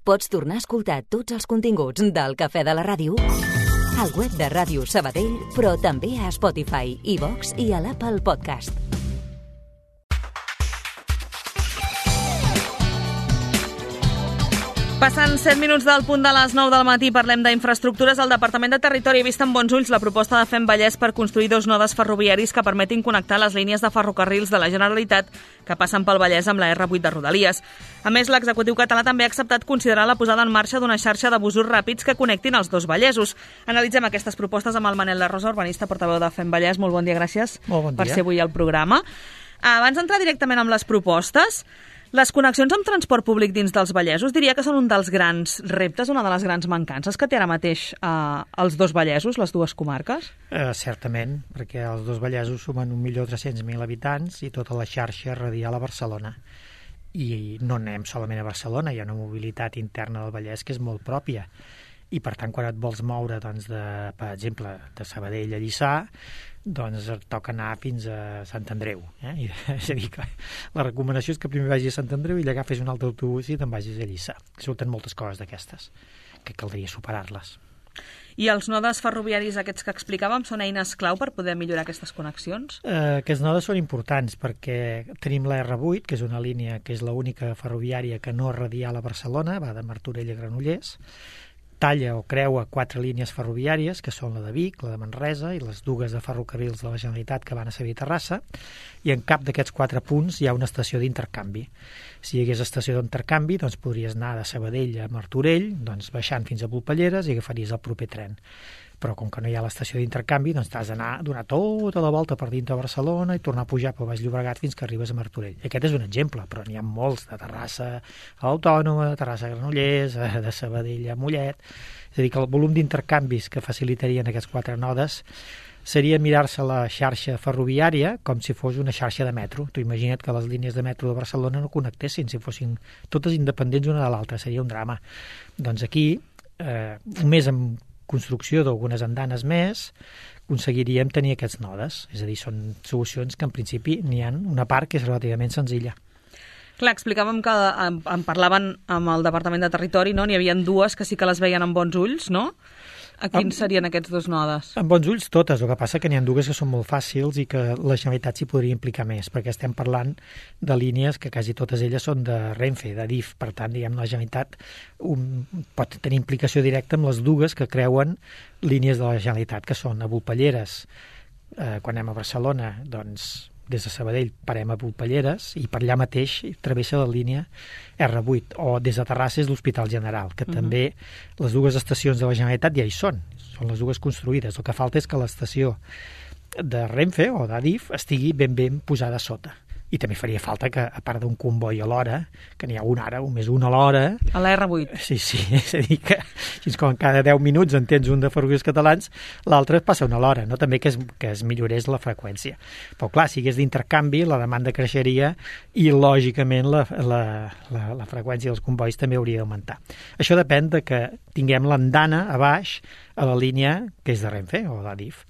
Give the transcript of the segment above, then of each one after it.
Pots tornar a escoltar tots els continguts del Cafè de la Ràdio al web de Ràdio Sabadell, però també a Spotify, iVox i a l'Apple Podcast. Passant 7 minuts del punt de les 9 del matí, parlem d'infraestructures. El Departament de Territori ha vist amb bons ulls la proposta de FEM Vallès per construir 2 nodes ferroviaris que permetin connectar les línies de ferrocarrils de la Generalitat que passen pel Vallès amb la R8 de Rodalies. A més, l'executiu català també ha acceptat considerar la posada en marxa d'una xarxa de busos ràpids que connectin els 2 Vallesos. Analitzem aquestes propostes amb el Manel La Rosa, urbanista, portaveu de FEM Vallès. Molt bon dia, gràcies per ser avui al programa. Abans d'entrar directament amb les propostes, les connexions amb transport públic dins dels Vallesos diria que són un dels grans reptes, una de les grans mancances que té ara mateix els 2 Vallesos, les 2 comarques? Certament, perquè els 2 Vallesos sumen 1.300.000 habitants i tota la xarxa radial a Barcelona. I no anem solament a Barcelona, hi ha una mobilitat interna del Vallès que és molt pròpia. I per tant, quan et vols moure, doncs, per exemple, de Sabadell a Lliçà, doncs et toca anar fins a Sant Andreu. És a dir, que la recomanació és que primer vagis a Sant Andreu i allà agafis un altre autobús i te'n vagis a Lliçà. Surten moltes coses d'aquestes, que caldria superar-les. I els nodes ferroviaris aquests que explicàvem són eines clau per poder millorar aquestes connexions? Aquests nodes són importants perquè tenim la R8, que és una línia que és l'única ferroviària que no és radial a Barcelona, va de Martorell a Granollers, talla o creua 4 línies ferroviàries, que són la de Vic, la de Manresa i les 2 de ferrocarrils de la Generalitat que van a Sevilla i Terrassa, i en cap d'aquests 4 punts hi ha una estació d'intercanvi. Si hi hagués estació d'intercanvi, doncs podries anar de Sabadell a Martorell, doncs baixant fins a Volpelleres i agafaries el proper tren. Però com que no hi ha l'estació d'intercanvi, doncs t'has d'anar a donar tota la volta per dintre de Barcelona i tornar a pujar pel Baix Llobregat fins que arribes a Martorell. I aquest és un exemple, però n'hi ha molts, de Terrassa a Autònoma, de Terrassa a Granollers, de Sabadell a Mollet. És a dir, que el volum d'intercanvis que facilitarien aquests 4 nodes seria mirar-se la xarxa ferroviària com si fos una xarxa de metro. Tu imagina't que les línies de metro de Barcelona no connectessin, si fossin totes independents una de l'altra, seria un drama. Doncs aquí, només amb construcció d'algunes andanes més, aconseguiríem tenir aquests nodes. És a dir, són solucions que en principi n'hi ha una part que és relativament senzilla. Clar, explicàvem que en parlaven amb el Departament de Territori, no? N'hi havia 2 que sí que les veien amb bons ulls, no? A quins serien aquests 2 nodes? Amb bons ulls totes, el que passa que n'hi ha 2 que són molt fàcils i que la Generalitat s'hi podria implicar més, perquè estem parlant de línies que quasi totes elles són de Renfe, de DIF, per tant, diguem, la Generalitat pot tenir implicació directa amb les 2 que creuen línies de la Generalitat, que són a Volpelleres, quan anem a Barcelona, doncs des de Sabadell parem a Volpelleres i per allà mateix travessa la línia R8, o des de Terrassa és l'Hospital General, que també les 2 estacions de la Generalitat ja hi són les 2 construïdes. El que falta és que l'estació de Renfe o d'Adif estigui ben posada a sota. I també faria falta que, a part d'un comboi a l'hora, que n'hi ha un ara, més un a l'hora... A la R8. Sí, és a dir que fins com cada 10 minuts en tens un de ferrocarrils catalans, l'altre passa una a l'hora, no? També que es millorés la freqüència. Però clar, si hagués d'intercanvi, la demanda creixeria i, lògicament, la freqüència dels combois també hauria d'augmentar. Això depèn de que tinguem l'andana a baix a la línia que és de Renfe o d'Adif.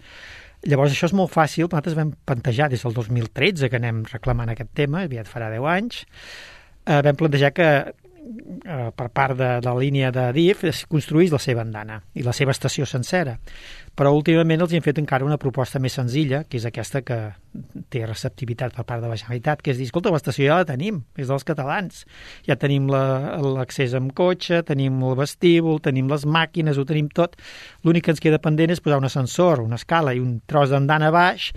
Llavors, això és molt fàcil. Nosaltres vam plantejar des del 2013 que anem reclamant aquest tema, aviat farà 10 anys, vam plantejar que per part de la línia de DIF es construís la seva andana i la seva estació sencera. Però últimament els hem fet encara una proposta més senzilla, que és aquesta que té receptivitat per part de la Generalitat, que és dir, escolta, l'estació ja la tenim, és dels catalans. Ja tenim l'accés amb cotxe, tenim el vestíbul, tenim les màquines, ho tenim tot. L'únic que ens queda pendent és posar un ascensor, una escala i un tros d'andana baix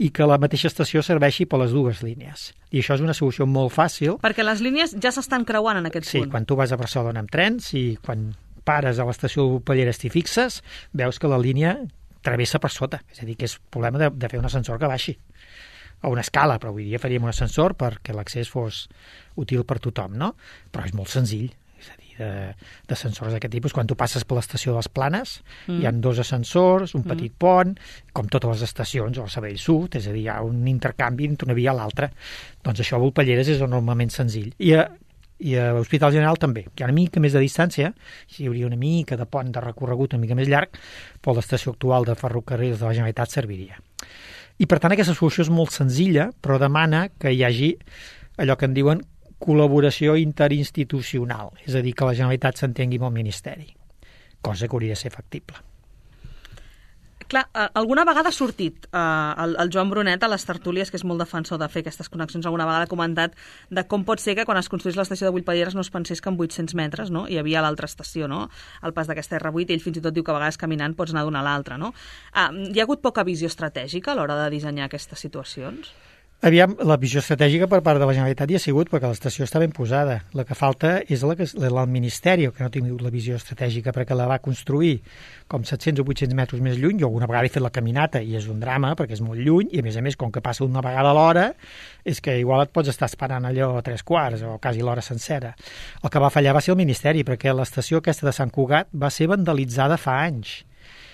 i que la mateixa estació serveixi per les 2 línies. I això és una solució molt fàcil. Perquè les línies ja s'estan creuant en aquest punt. Sí, quan tu vas a Barcelona amb trens i quan pares a l'estació de Volpelleres t'hi fixes, veus que la línia travessa per sota. És a dir, que és problema de fer un ascensor que baixi. O una escala, però avui dia faríem un ascensor perquè l'accés fos útil per tothom, no? Però és molt senzill. És a dir, d'ascensors d'aquest tipus. Quan tu passes per l'estació de les Planes, hi ha 2 ascensors, un petit pont, com totes les estacions, o el Sabadell Sud, és a dir, hi ha un intercanvi entre una via a l'altra. Doncs això a Volpelleres és enormement senzill. I a l'Hospital General també. Hi ha una mica més de distància, hi hauria una mica de pont de recorregut una mica més llarg, però l'estació actual de ferrocarrils de la Generalitat serviria. I per tant aquesta solució és molt senzilla, però demana que hi hagi allò que en diuen col·laboració interinstitucional, és a dir, que la Generalitat s'entengui amb el Ministeri, cosa que hauria de ser factible. Clar, alguna vegada ha sortit el Joan Brunet a les tertúlies, que és molt defensor de fer aquestes connexions, alguna vegada ha comentat de com pot ser que quan es construís l'estació de Bullpadieres no es pensés que en 800 metres, no? Hi havia l'altra estació, no? El pas d'aquesta R8, ell fins i tot diu que a vegades caminant pots anar d'una a l'altra, no? Hi ha hagut poca visió estratègica a l'hora de dissenyar aquestes situacions? Aviam, la visió estratègica per part de la Generalitat hi ha sigut perquè l'estació està ben posada. La que falta és el Ministeri, que no ha tingut la visió estratègica perquè la va construir com 700 o 800 metres més lluny. Jo alguna vegada he fet la caminata i és un drama perquè és molt lluny i a més, com que passa una vegada a l'hora, és que igual et pots estar esperant allò 3/4 o quasi l'hora sencera. El que va fallar va ser el Ministeri perquè l'estació aquesta de Sant Cugat va ser vandalitzada fa anys.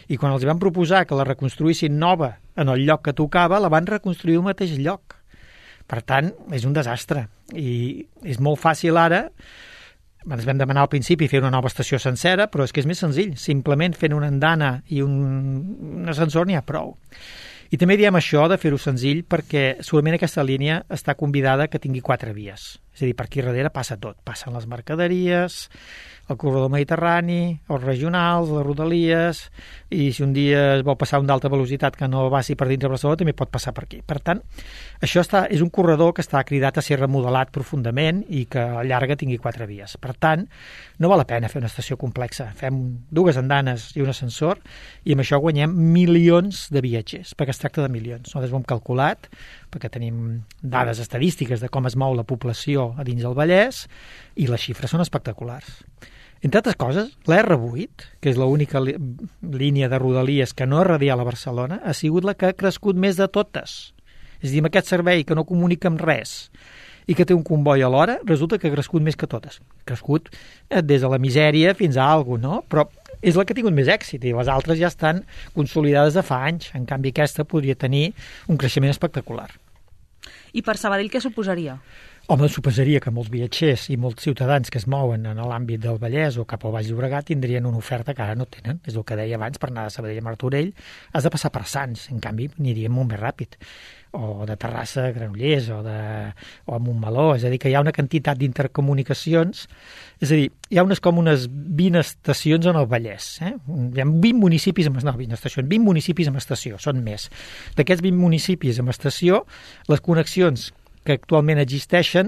I quan els van proposar que la reconstruïssin nova en el lloc que tocava, la van reconstruir al mateix lloc. Per tant, és un desastre. I és molt fàcil ara, ens vam demanar al principi fer una nova estació sencera, però és que és més senzill. Simplement fent una andana i un ascensor n'hi ha prou. I també diem això de fer-ho senzill perquè segurament aquesta línia està convidada que tingui 4 vies. És a dir, per aquí darrere passa tot. Passen les mercaderies, el corredor mediterrani, els regionals, les rodalies, i si un dia es vol passar un d'alta velocitat que no passi per dins de Barcelona, també pot passar per aquí. Per tant, això és un corredor que està cridat a ser remodelat profundament i que a llarga tingui 4 vies. Per tant, no val la pena fer una estació complexa. Fem 2 andanes i un ascensor i amb això guanyem milions de viatgers, perquè es tracta de milions. Nosaltres ho hem calculat, perquè tenim dades estadístiques de com es mou la població a dins del Vallès i les xifres són espectaculars. Entre altres coses, la R8, que és l'única línia de rodalies que no és radial a Barcelona, ha sigut la que ha crescut més de totes. És a dir, amb aquest servei que no comunica amb res i que té un comboi alhora, resulta que ha crescut més que totes. Ha crescut des de la misèria fins a alguna cosa, no? Però és la que ha tingut més èxit i les altres ja estan consolidades de fa anys. En canvi, aquesta podria tenir un creixement espectacular. I per Sabadell què suposaria? Home, suposaria que molts viatgers i molts ciutadans que es mouen en l'àmbit del Vallès o cap al Baix Llobregat tindrien una oferta que ara no tenen. És el que deia abans, per anar de Sabadell a Martorell has de passar per Sants, en canvi aniríem molt més ràpid. O de Terrassa a Granollers o a Montmeló, és a dir, que hi ha una quantitat d'intercomunicacions, és a dir, hi ha com unes 20 estacions en el Vallès. Hi ha 20 municipis amb 20 municipis amb estació, són més. D'aquests 20 municipis amb estació, les connexions que actualment existeixen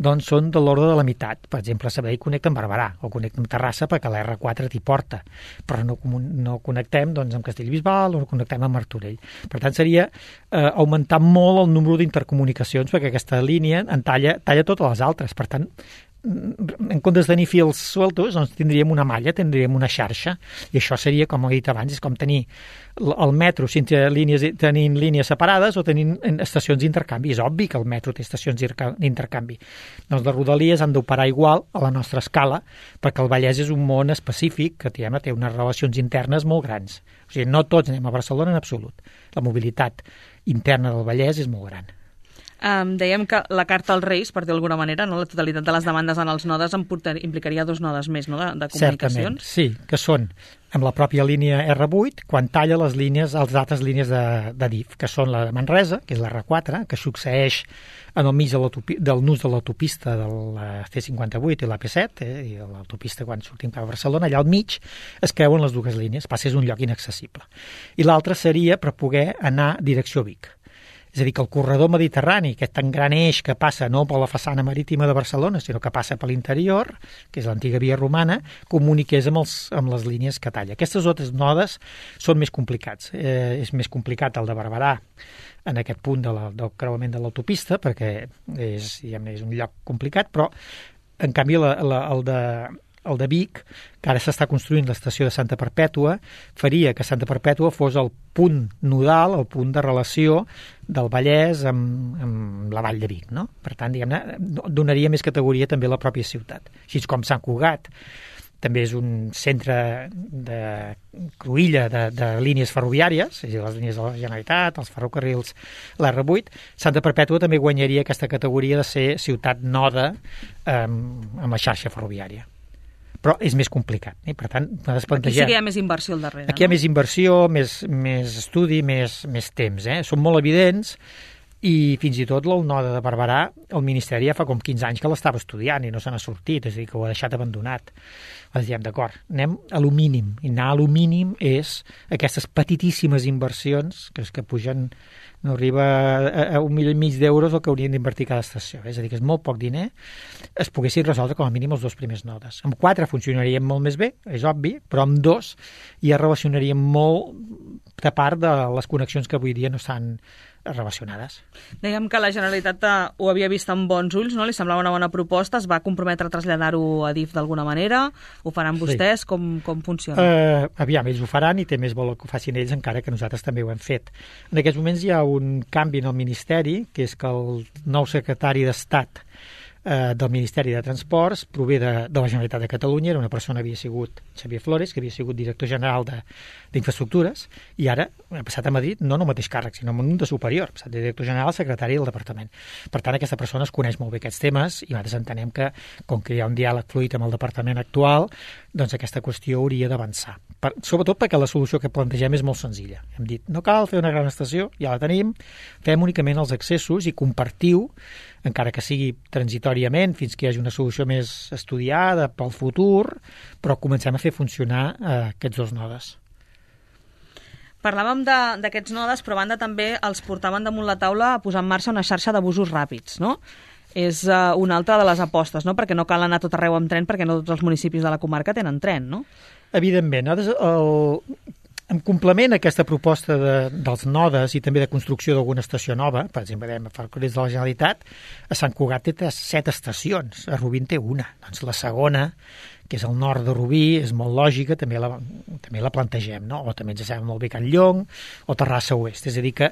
doncs són de l'ordre de la meitat. Per exemple, Sabadell connecta amb Barberà o connecta amb Terrassa perquè la R4 t'hi porta, però no connectem doncs, amb Castellbisbal o no connectem amb Martorell. Per tant, seria augmentar molt el número d'intercomunicacions perquè aquesta línia en talla totes les altres. Per tant, en comptes de tenir fils sueltos, doncs tindríem una malla, tindríem una xarxa, i això seria, com he dit abans, és com tenir el metro tenint línies separades o tenint estacions d'intercanvi. És obvi que el metro té estacions d'intercanvi. Doncs les rodalies han d'operar igual a la nostra escala, perquè el Vallès és un món específic que té unes relacions internes molt grans. O sigui, no tots anem a Barcelona en absolut. La mobilitat interna del Vallès és molt gran. Dèiem que la carta als Reis, per dir d'alguna manera, no? La totalitat de les demandes en els nodes implicaria 2 nodes més, no? de comunicacions. Certament, sí, que són amb la pròpia línia R8, quan talla les altres línies de DIF, que són la de Manresa, que és la R4, que succeeix en el mig del nus de l'autopista de la C58 i la P7, i l'autopista quan sortim cap a Barcelona, allà al mig es creuen les 2 línies, passa és un lloc inaccessible. I l'altre seria per poder anar direcció Vic. És a dir, que el corredor mediterrani, aquest tan gran eix que passa no per la façana marítima de Barcelona, sinó que passa per l'interior, que és l'antiga via romana, comuniqués amb les línies que talla. Aquestes altres nodes són més complicats. És més complicat el de Barberà en aquest punt del creuament de l'autopista, perquè és un lloc complicat, però en canvi el de Vic, que ara s'està construint l'estació de Santa Perpètua, faria que Santa Perpètua fos el punt nodal, el punt de relació del Vallès amb la vall de Vic, no? Per tant, diguem-ne, donaria més categoria també a la pròpia ciutat. Així com Sant Cugat també és un centre de cruïlla de línies ferroviàries, és a dir, les línies de la Generalitat, els ferrocarrils, l'R8, Santa Perpètua també guanyaria aquesta categoria de ser ciutat noda amb la xarxa ferroviària. Però és més complicat. Per tant, aquí sí que hi ha més inversió al darrere. Aquí hi ha més inversió, més estudi, més temps. Són molt evidents I fins i tot el node de Barberà, el Ministeri ja fa com 15 anys que l'estava estudiant i no se n'ha sortit, és a dir, que ho ha deixat abandonat. Doncs diem, d'acord, anem a lo mínim. I anar a lo mínim és aquestes petitíssimes inversions que pugen, no arriba a 1,5 milió d'euros el que haurien d'invertir cada estació. És a dir, que és molt poc diner, es poguessin resoldre com a mínim els 2 primers nodes. Amb 4 funcionarien molt més bé, és obvi, però amb 2 ja relacionaríem molt de part de les connexions que avui dia no estan relacionades. Dèiem que la Generalitat ho havia vist amb bons ulls, no? Li semblava una bona proposta, es va comprometre a traslladar-ho a DIF d'alguna manera, ho faran vostès, sí. Com funciona? Aviam, ells ho faran i té més valor que ho facin ells, encara que nosaltres també ho hem fet. En aquests moments hi ha un canvi en el Ministeri, que és que el nou secretari d'Estat del Ministeri de Transports prové de la Generalitat de Catalunya, era una persona que havia sigut Xavier Flores, que havia sigut director general d'Infraestructures, i ara ha passat a Madrid, no en el mateix càrrec, sinó en un de superior, ha passat de director general a secretari del departament. Per tant, aquesta persona es coneix molt bé aquests temes i nosaltres entenem que, com que hi ha un diàleg fluid amb el departament actual, doncs aquesta qüestió hauria d'avançar. Sobretot perquè la solució que plantegem és molt senzilla. Hem dit, no cal fer una gran estació, ja la tenim, fem únicament els accessos i compartiu, encara que sigui transitoriament, fins que hi hagi una solució més estudiada pel futur, però comencem a fer funcionar aquests 2 nodes. Parlàvem d'aquests nodes, però a banda també els portaven damunt la taula a posar en marxa una xarxa de busos ràpids, no? És una altra de les apostes, no? Perquè no cal anar tot arreu amb tren, perquè no tots els municipis de la comarca tenen tren, no? Evidentment. En complement a aquesta proposta dels nodes i també de construcció d'alguna estació nova, per exemple, a Ferrocarrils de la Generalitat, a Sant Cugat té 7 estacions, a Rubí en té una. Doncs la segona, que és al nord de Rubí, és molt lògica, també la plantegem, no? O també ens sembla molt bé Can Llong o Terrassa Oest. És a dir, que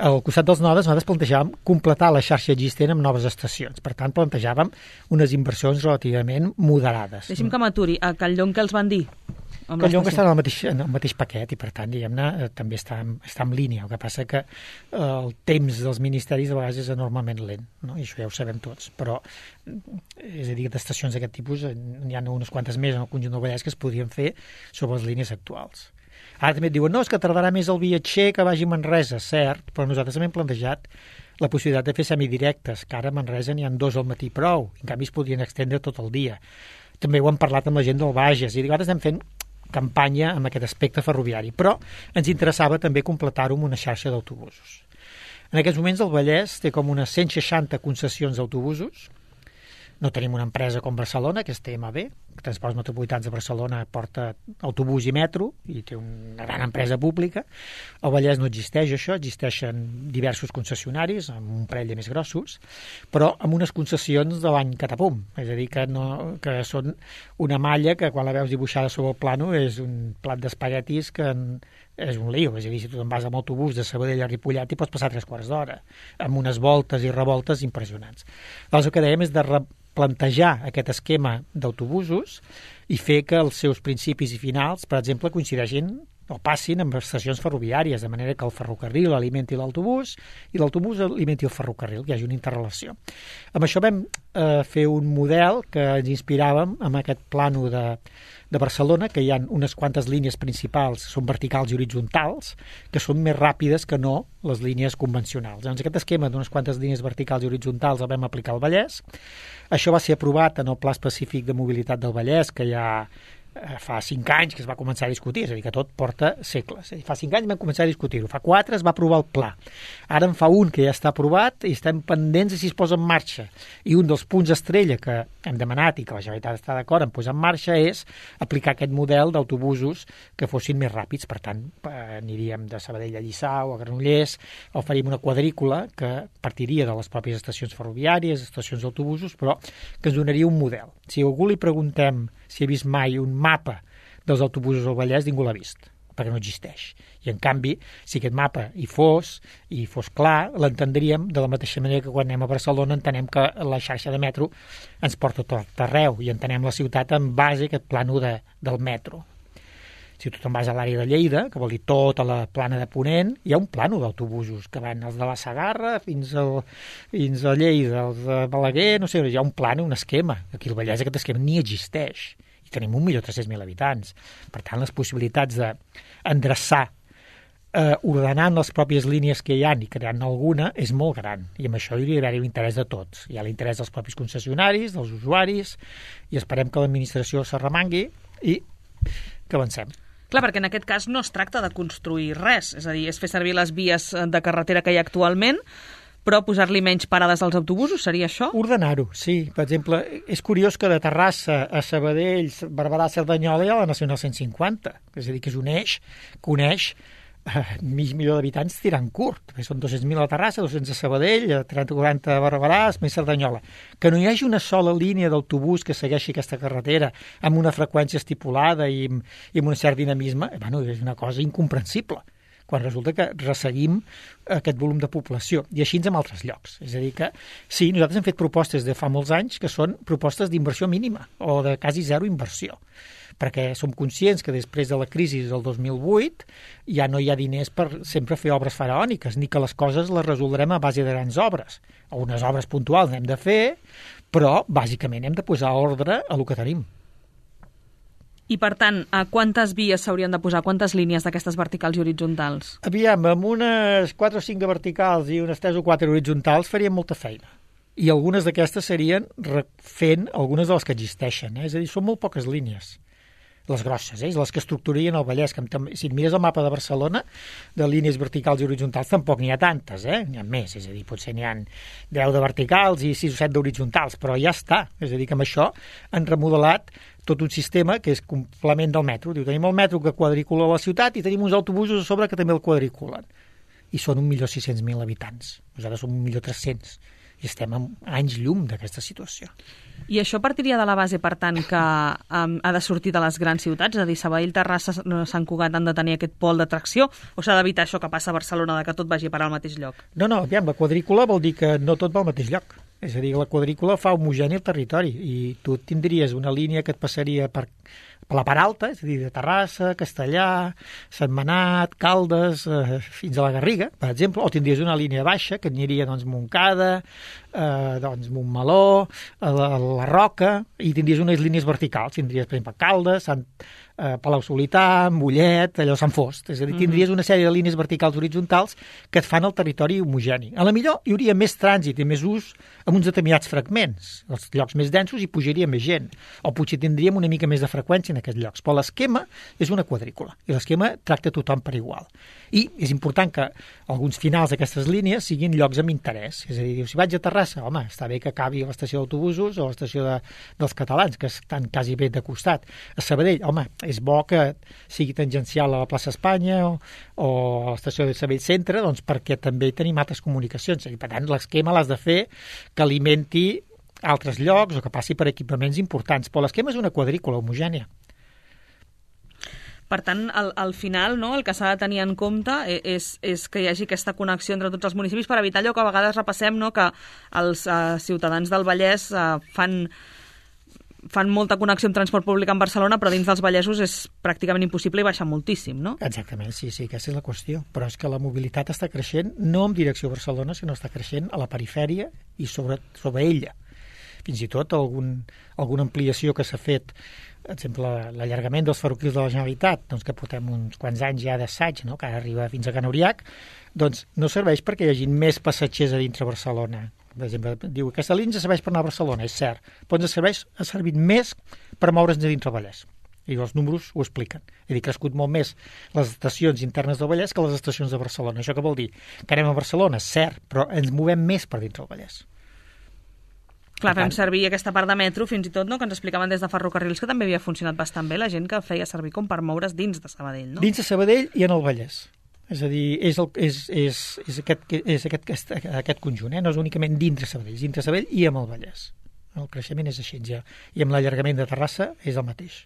al costat dels nodes nosaltres plantejàvem completar la xarxa existent amb noves estacions. Per tant, plantejàvem unes inversions relativament moderades. Deixi'm que m'aturi. A Can Llong què els van dir? Can Llong està en el mateix paquet i, per tant, diguem-ne, també està en línia. El que passa que el temps dels ministeris a vegades és enormement lent, no? I això ja ho sabem tots. Però, és a dir, d'estacions d'aquest tipus n'hi ha unes quantes més en el conjunt del Vallès que es podrien fer sobre les línies actuals. Ara també et diuen, no, és que tardarà més el viatger que vagi a Manresa, cert, però nosaltres també hem plantejat la possibilitat de fer semidirectes, que ara a Manresa n'hi ha 2 al matí prou, en canvi es podrien extendre tot el dia. També ho hem parlat amb la gent del Bages, i ara estem fent campanya amb aquest aspecte ferroviari, però ens interessava també completar-ho amb una xarxa d'autobusos. En aquests moments el Vallès té com unes 160 concessions d'autobusos. No tenim una empresa com Barcelona, que és TMB, Transports Metropolitans de Barcelona porta autobús i metro, i té una gran empresa pública. Al Vallès no existeix això, existeixen diversos concessionaris, amb un parell de més grossos, però amb unes concessions de l'any catapum, és a dir, que són una malla que quan la veus dibuixada sobre el plano és un plat d'espaguetis que és un lío, és a dir, si tu te'n vas amb autobús de Sabadell a Ripollet i pots passar 3 quarts d'hora, amb unes voltes i revoltes impressionants. Llavors el que dèiem és de plantejar aquest esquema d'autobusos i fer que els seus principis i finals, per exemple, coincideixin o passin amb estacions ferroviàries, de manera que el ferrocarril alimenti l'autobús i l'autobús alimenti el ferrocarril, que hi hagi una interrelació. Amb això vam fer un model que ens inspiràvem amb aquest plano de Barcelona, que hi ha unes quantes línies principals, són verticals i horitzontals, que són més ràpides que no les línies convencionals. Doncs aquest esquema d'unes quantes línies verticals i horitzontals el vam aplicar al Vallès. Això va ser aprovat en el Pla Específic de Mobilitat del Vallès, que ja fa 5 anys que es va començar a discutir, és a dir, que tot porta segles. Fa 5 anys vam començar a discutir-ho, fa 4 es va aprovar el pla. Ara en fa un que ja està aprovat i estem pendents de si es posa en marxa. I un dels punts estrella que hem demanat i que la Generalitat està d'acord en posar en marxa és aplicar aquest model d'autobusos que fossin més ràpids. Per tant, aniríem de Sabadell a Lliçà o a Granollers, o faríem una quadrícula que partiria de les pròpies estacions ferroviàries, estacions d'autobusos, però que ens donaria un model. Si a algú li preguntem si ha vist mai un mapa dels autobusos al Vallès, ningú l'ha vist, perquè no existeix. I, en canvi, si aquest mapa hi fos clar, l'entendríem de la mateixa manera que quan anem a Barcelona entenem que la xarxa de metro ens porta tot arreu i entenem la ciutat en base a aquest plano del metro. Si tu te'n vas a l'àrea de Lleida, que vol dir tota la plana de Ponent, hi ha un plano d'autobusos que van els de la Segarra fins a Lleida, els de Balaguer, no sé, hi ha un plano, un esquema. Aquí al Vallès aquest esquema ni existeix. I tenim 1.300.000 habitants. Per tant, les possibilitats d'endreçar ordenant les pròpies línies que hi ha i creant alguna és molt gran, i amb això hi haurà l'interès de tots. Hi ha l'interès dels propis concessionaris, dels usuaris, i esperem que l'administració s'arremangui i que avancem. Clar, perquè en aquest cas no es tracta de construir res, és a dir, és fer servir les vies de carretera que hi ha actualment, però posar-li menys parades als autobusos, seria això? Ordenar-ho, sí. Per exemple, és curiós que de Terrassa a Sabadell, Barberà, Cerdanyola hi ha la Nacional 150, és a dir, que és un eix que uneix mig milió d'habitants tirant curt. Són 200.000 a Terrassa, 200 a Sabadell, 30-40 a Barberà, més Cerdanyola. Que no hi hagi una sola línia d'autobús que segueixi aquesta carretera amb una freqüència estipulada i amb un cert dinamisme, és una cosa incomprensible, quan resulta que resseguim aquest volum de població, i així en altres llocs. És a dir que, sí, nosaltres hem fet propostes de fa molts anys que són propostes d'inversió mínima o de quasi zero inversió, perquè som conscients que després de la crisi del 2008 ja no hi ha diners per sempre fer obres faraòniques, ni que les coses les resoldrem a base de grans obres. Unes obres puntuals n'hem de fer, però bàsicament hem de posar ordre a el que tenim. I, per tant, quantes vies s'haurien de posar? Quantes línies d'aquestes verticals i horitzontals? Aviam, amb unes 4 o 5 de verticals i unes 3 o 4 horitzontals faríem molta feina. I algunes d'aquestes serien refent algunes de les que existeixen. És a dir, són molt poques línies. Les grosses, les que estructurien el Vallès. Si et mires el mapa de Barcelona, de línies verticals i horitzontals, tampoc n'hi ha tantes, n'hi ha més. És a dir, potser n'hi ha 10 de verticals i 6 o 7 d'horitzontals, però ja està. És a dir, que amb això han remodelat tot un sistema que és complement del metro. Diu, tenim el metro que quadricula la ciutat i tenim uns autobusos a sobre que també el quadriculen. I són 1.600.000 habitants. Nosaltres som 1.300.000. I estem a anys llum d'aquesta situació. I això partiria de la base, per tant, que ha de sortir de les grans ciutats? És a dir, Sabadell, Terrassa, Sant Cugat han de tenir aquest pol d'atracció? O s'ha d'evitar això que passa a Barcelona, de que tot vagi a parar al mateix lloc? No, aviam, la quadrícula vol dir que no tot va al mateix lloc. És a dir, la quadrícula fa homogeni el territori i tu tindries una línia que et passaria per la part alta, és a dir, de Terrassa, Castellà, Sentmenat, Caldes, fins a la Garriga, per exemple, o tindries una línia baixa que aniria Montcada, Montmeló, la Roca, i tindries unes línies verticals, tindries, per exemple, Caldes, Palau-solità, Mollet, allò Sant Fost. És a dir, tindries una sèrie de línies verticals horitzontals que et fan el territori homogeni. A la millor hi hauria més trànsit i més ús amb uns determinats fragments, els llocs més densos hi pujaria més gent, o potser tindríem una mica més de freqüència en aquests llocs. Però l'esquema és una quadrícula, i l'esquema tracta tothom per igual. I és important que alguns finals d'aquestes línies siguin llocs amb interès. És a dir, si vaig a Terrassa, home, està bé que acabi a l'estació d'autobusos o a l'estació dels catalans, que estan quasi bé de costat. A Sabadell, home, és bo que sigui tangencial a la plaça Espanya o a l'estació de Sabadell Centre, doncs perquè també tenim altres comunicacions. I per tant, l'esquema l'has de fer que alimenti altres llocs o que passi per equipaments importants. Però l'esquema és una quadrícula homogènia. Per tant, al final, no, el que s'ha de tenir en compte és que hi hagi aquesta connexió entre tots els municipis per evitar allò que a vegades repassem, no, que els ciutadans del Vallès fan molta connexió amb transport públic en Barcelona, però dins dels Vallesos és pràcticament impossible i baixa moltíssim, no? Exactament, sí, aquesta és la qüestió. Però és que la mobilitat està creixent no en direcció a Barcelona, sinó està creixent a la perifèria i sobre ella. Fins i tot alguna ampliació que s'ha fet, per exemple, l'allargament dels ferrocarrils de la Generalitat, doncs que portem uns quants anys ja d'assaig, no? Que ara arriba fins a Can Uriac, doncs no serveix perquè hi hagi més passatgers a dintre Barcelona. Per exemple, diu que aquesta línia serveix per anar a Barcelona, és cert, però ens ha servit més per moure'ns a dintre el Vallès. I els números ho expliquen. És a dir, crescut molt més les estacions internes del Vallès que les estacions de Barcelona. Això què vol dir? Que anem a Barcelona, cert, però ens movem més per dintre el Vallès. Clar, fem servir aquesta part de metro, fins i tot, no?, que ens explicaven des de ferrocarrils, que també havia funcionat bastant bé, la gent que feia servir com per moure's dins de Sabadell, no? Dins de Sabadell i en el Vallès. És a dir, és aquest conjunt, no és únicament dintre Sabadell i amb el Vallès. El creixement és així ja. I amb l'allargament de Terrassa és el mateix.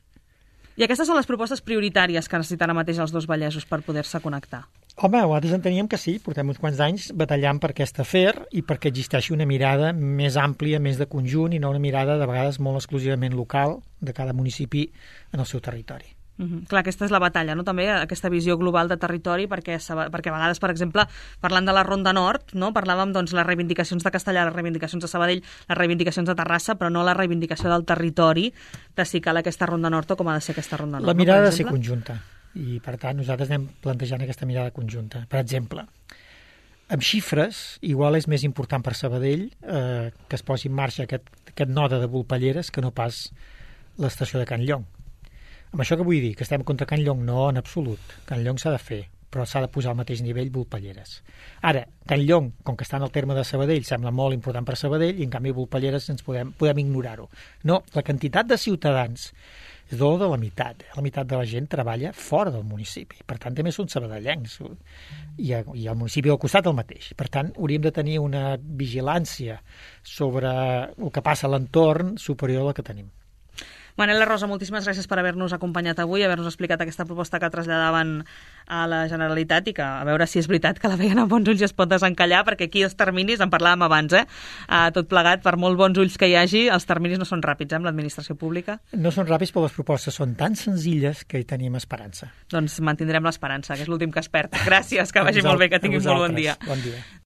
I aquestes són les propostes prioritàries que necessiten ara mateix els dos Vallesos per poder-se connectar? Home, nosaltres enteníem que sí, portem uns quants anys batallant per aquest afer i perquè existeixi una mirada més àmplia, més de conjunt, i no una mirada de vegades molt exclusivament local de cada municipi en el seu territori. Clar, aquesta és la batalla, no? També aquesta visió global de territori, perquè a vegades, per exemple, parlant de la Ronda Nord, no? Parlàvem les reivindicacions de Castellà, les reivindicacions de Sabadell, les reivindicacions de Terrassa, però no la reivindicació del territori, de si cal aquesta Ronda Nord o com ha de ser aquesta Ronda Nord. La mirada ha de ser conjunta. I, per tant, nosaltres anem plantejant aquesta mirada conjunta. Per exemple, amb xifres, igual és més important per Sabadell que es posi en marxa aquest node de Volpelleres que no pas l'estació de Can Llong. Amb això que vull dir? Que estem contra Can Llong? No, en absolut. Can Llong s'ha de fer, però s'ha de posar al mateix nivell Volpelleres. Ara, Can Llong, com que està en el terme de Sabadell, sembla molt important per Sabadell, i en canvi Volpelleres podem ignorar-ho. No, la quantitat de ciutadans és de la meitat. La meitat de la gent treballa fora del municipi. Per tant, també són sabadellencs. I el municipi al costat el mateix. Per tant, hauríem de tenir una vigilància sobre el que passa a l'entorn superior a la que tenim. Manel Rosa, moltíssimes gràcies per haver-nos acompanyat avui, haver-nos explicat aquesta proposta que traslladaven a la Generalitat i que a veure si és veritat que la veien amb bons ulls i es pot desencallar, perquè aquí els terminis, en parlàvem abans, tot plegat, per molt bons ulls que hi hagi, els terminis no són ràpids, amb l'administració pública. No són ràpids, però les propostes són tan senzilles que hi tenim esperança. Doncs mantindrem l'esperança, que és l'últim que es perd. Gràcies, que vagi molt bé, que tinguin molt bon dia. Bon dia.